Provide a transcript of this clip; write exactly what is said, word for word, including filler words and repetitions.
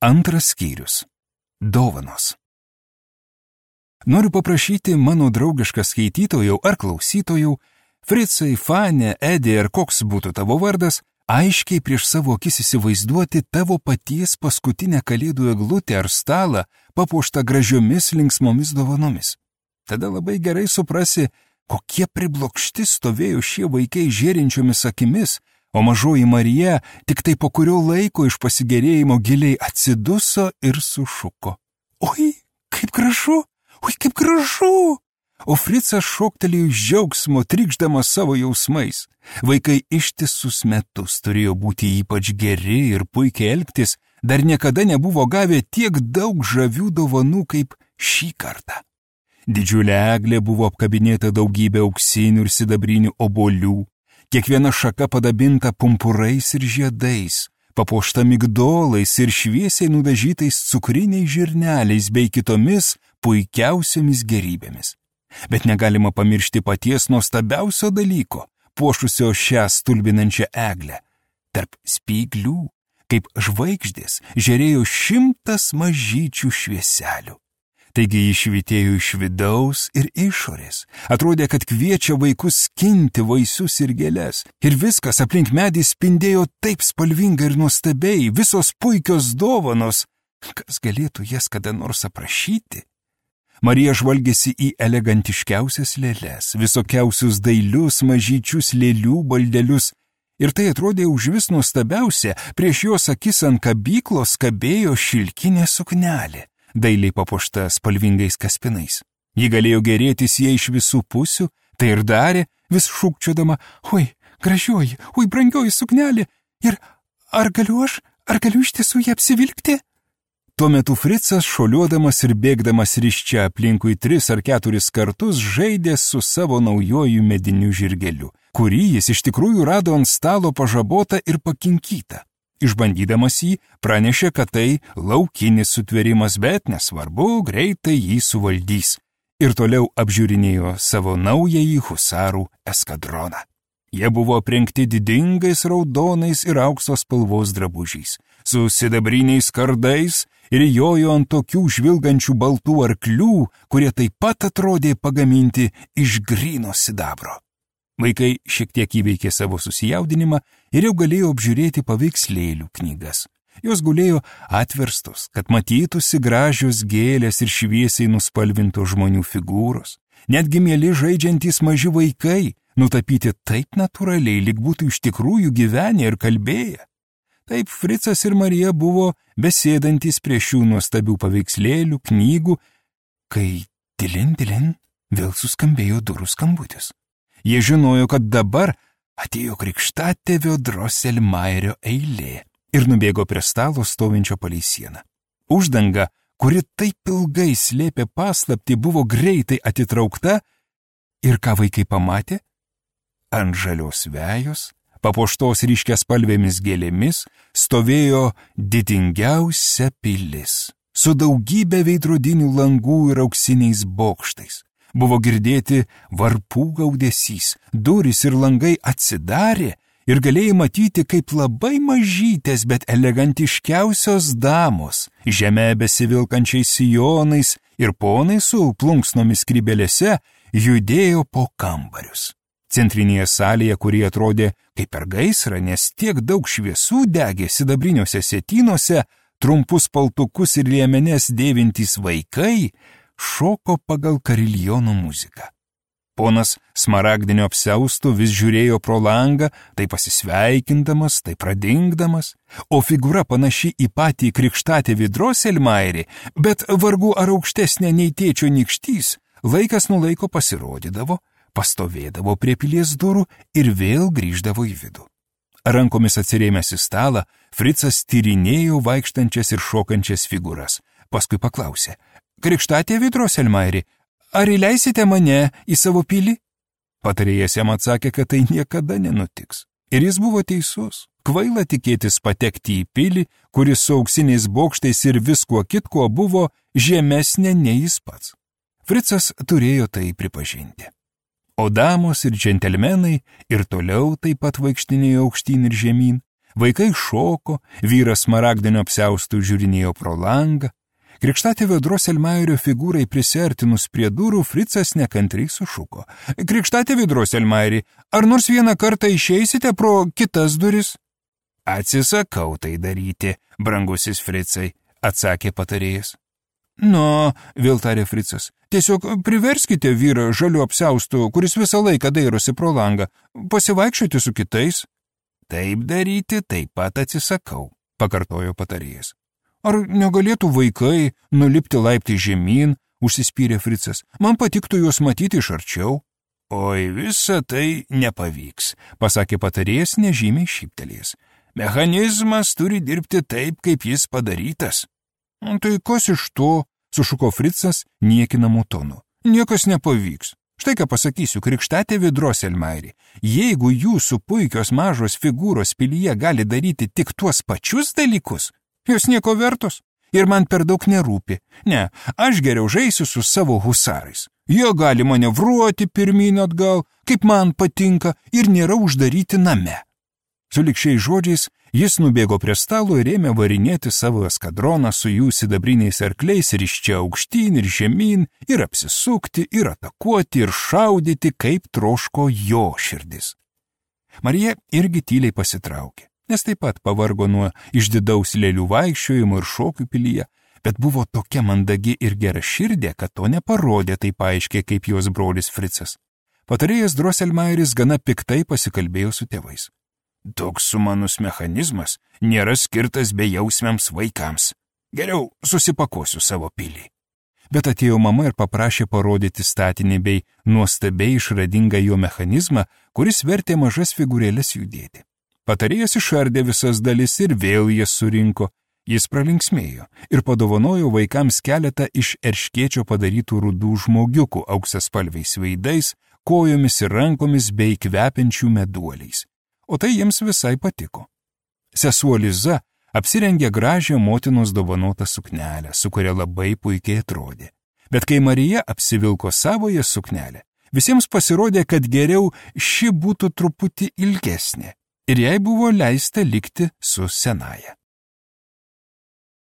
Antras skyrius. Dovanos. Noriu paprašyti mano draugišką skaitytojų ar klausytojų, Fricai, Fanė, Edė ir koks būtų tavo vardas, aiškiai prieš savo akis įsivaizduoti tavo paties paskutinę kalėdų eglutę ar stalą, papuoštą gražiomis linksmomis dovanomis. Tada labai gerai suprasi, kokie priblokšti stovėjo šie vaikai žėrinčiomis akimis, o mažoji Marija tik tai po kurio laiko iš pasigėrėjimo giliai atsiduso ir sušuko. Oi, kaip gražu, oi, kaip gražu! O Fricas šoktelėjo iš džiaugsmo, trykšdamas savo jausmais. Vaikai ištisus metus turėjo būti ypač geri ir puikiai elgtis, dar niekada nebuvo gavę tiek daug žavių dovanų kaip šį kartą. Didžiulė eglė buvo apkabinėta daugybė auksinių ir sidabrinių obuolių, kiekviena šaka padabinta pumpurais ir žiedais, papuošta migdolais ir šviesiai nudažytais cukriniais žirneliais bei kitomis puikiausiomis gerybėmis. Bet negalima pamiršti paties nuostabiausio dalyko, puošusio šią stulbinančią eglę. Tarp spyglių, kaip žvaigždės, žėrėjo šimtas mažyčių švieselių. Taigi jis švytėjo iš vidaus ir išorės. Atrodė, kad kviečia vaikus skinti vaisius ir gėles. Ir viskas aplink medį spindėjo taip spalvingai ir nuostabiai, visos puikios dovanos. Kas galėtų jas kada nors aprašyti? Marija žvalgėsi į elegantiškiausias lėles, visokiausius dailius mažyčius lėlių baldelius. Ir tai atrodė užvis nuostabiausia, prieš jos akis ant kabyklos kabėjo šilkinė suknelė, dailiai papuošta spalvingais kaspinais. Ji galėjo gerėtis jie iš visų pusių, tai ir darė, vis šūkčiodama, oi, gražioji, oi, brangioji suknelė, ir ar galiu aš, ar galiu iš tiesų ją apsivilkti? Tuo metu Fricas, šoliuodamas ir bėgdamas ryščia aplinkui tris ar keturis kartus, žaidė su savo naujoju mediniu žirgeliu, kurį jis iš tikrųjų rado ant stalo pažabotą ir pakinkytą. Išbandydamas jį, pranešė, kad tai laukinis sutvėrimas, bet nesvarbu, greitai jį suvaldys. Ir toliau apžiūrinėjo savo naująjį husarų eskadroną. Jie buvo aprengti didingais raudonais ir aukso spalvos drabužiais, su sidabriniais kardais ir jojo ant tokių žvilgančių baltų arklių, kurie taip pat atrodė pagaminti iš gryno sidabro. Vaikai šiek tiek įveikė savo susijaudinimą ir jau galėjo apžiūrėti paveikslėlių knygas. Jos gulėjo atverstos, kad matytųsi gražios gėlės ir šviesiai nuspalvintos žmonių figūros. Netgi mieli žaidžiantys maži vaikai, nutapyti taip natūraliai, lyg būtų iš tikrųjų gyvenę ir kalbėję. Taip Fricas ir Marija buvo besėdantys prie šių nuostabių paveikslėlių, knygų, kai dilin, dilin vėl suskambėjo durų skambutis. Jie žinojo, kad dabar atėjo krikštatėvio Drosselmaierio eilė ir nubėgo prie stalo stovinčio palei sieną. Uždanga, kuri taip ilgai slėpė paslaptį, buvo greitai atitraukta ir ką vaikai pamatė? Ant žalios vejos, papuoštos ryškiaspalvėmis gėlėmis, stovėjo didingiausia pilis, su daugybė veidrodinių langų ir auksiniais bokštais. Buvo girdėti varpų gaudesys, durys ir langai atsidarė ir galėjai matyti, kaip labai mažytės, bet elegantiškiausios damos, žeme besivilkančiais sijonais ir ponai su plunksnomis skrybėlėse, judėjo po kambarius. Centrinėje salėje, kuri atrodė kaip per gaisrą, nes tiek daug šviesų degė sidabriniuose sietynuose, trumpus paltukus ir liemenes dėvintys vaikai, šoko pagal kariljono muziką. Ponas smaragdinio apsiaustų vis žiūrėjo pro langą, tai pasisveikindamas, tai pradingdamas, o figūra panaši į patį krikštatėvį Drosselmaierį, bet vargu ar aukštesnė nei tėčio nykštys, laikas nuo laiko pasirodydavo, pastovėdavo prie pilies durų ir vėl grįždavo į vidų. Rankomis atsirėmęs į stalą, Fricas tyrinėjo vaikštančias ir šokančias figūras, paskui paklausė, krikštatėvi Drosselmaierį, ar įleisite mane į savo pilį? Patarėjas jam atsakė, kad tai niekada nenutiks. Ir jis buvo teisus. Kvaila tikėtis patekti į pilį, kuris su auksiniais bokštais ir viskuo kitkuo buvo žemesnė nei jis pats. Fricas turėjo tai pripažinti. O damos ir džentelmenai ir toliau taip pat vaikštinėjo aukštyn ir žemyn, Vaikai šoko, vyras smaragdinio apsiaustų žiūrinėjo pro langą. Krikštatėvio Droselmairio figūrai prisiartinus prie durų, Fricas nekantriai sušuko. Krikštatėvi Droselmairi, ar nors vieną kartą išeisite pro kitas duris? Atsisakau tai daryti, brangusis Fricai, atsakė patarėjas. Nu, vėl tarė Fricas, tiesiog priverskite vyrą žaliu apsiaustu, kuris visą laiką dairosi pro langą, pasivaikščioti su kitais. Taip daryti taip pat atsisakau, pakartojo patarėjas. Ar negalėtų vaikai nulipti laiptai žemyn, užsispyrė Fricas, man patiktų juos matyti iš arčiau. Oi, visa tai nepavyks, pasakė patarėjas nežymiai šyptelėjęs. Mechanizmas turi dirbti taip, kaip jis padarytas. Tai kas iš to, sušuko Fricas niekinamų tonu. Niekas nepavyks. Štai ką pasakysiu, krikštatėvi Droselmairi. Jeigu jūsų puikios mažos figūros pilyje gali daryti tik tuos pačius dalykus, jos nieko vertos ir man per daug nerūpi. Ne, aš geriau žaisiu su savo husarais. Jie gali manevruoti pirmyn atgal, kaip man patinka, ir nėra uždaryti name. Sulig šiais žodžiais jis nubėgo prie stalo ir ėmė varinėti savo eskadroną su jų sidabriniais arkliais ir iš čia aukštyn ir žemyn, ir apsisukti, ir atakuoti, ir šaudyti, kaip troško jo širdis. Marija irgi tyliai pasitraukė, nes taip pat pavargo nuo išdidaus lėlių vaikščiojimo ir šokių pilyje, bet buvo tokia mandagi ir gera širdė, kad to neparodė taip aiškiai kaip jos brolis Fricas. Patarėjas Droselmairis gana piktai pasikalbėjo su tėvais. Toks sumanus mechanizmas nėra skirtas bejausmiams vaikams. Geriau susipakosiu savo pilį. Bet atėjo mama ir paprašė parodyti statinį bei nuostabiai išradingą jo mechanizmą, kuris vertė mažas figūrėlės judėti. Patarėjas išardė visas dalis ir vėl jas surinko. Jis pralinksmėjo ir padovanojo vaikams keletą iš erškėčio padarytų rudų žmogiukų auksaspalviais veidais, kojomis ir rankomis bei kvepiančių meduoliais. O tai jiems visai patiko. Sesuo Liza apsirengė gražią motinos dovanotą suknelę, su kuria labai puikiai atrodė. Bet kai Marija apsivilko savoje suknelę, visiems pasirodė, kad geriau ši būtų truputį ilgesnė ir jai buvo leista likti su senaja.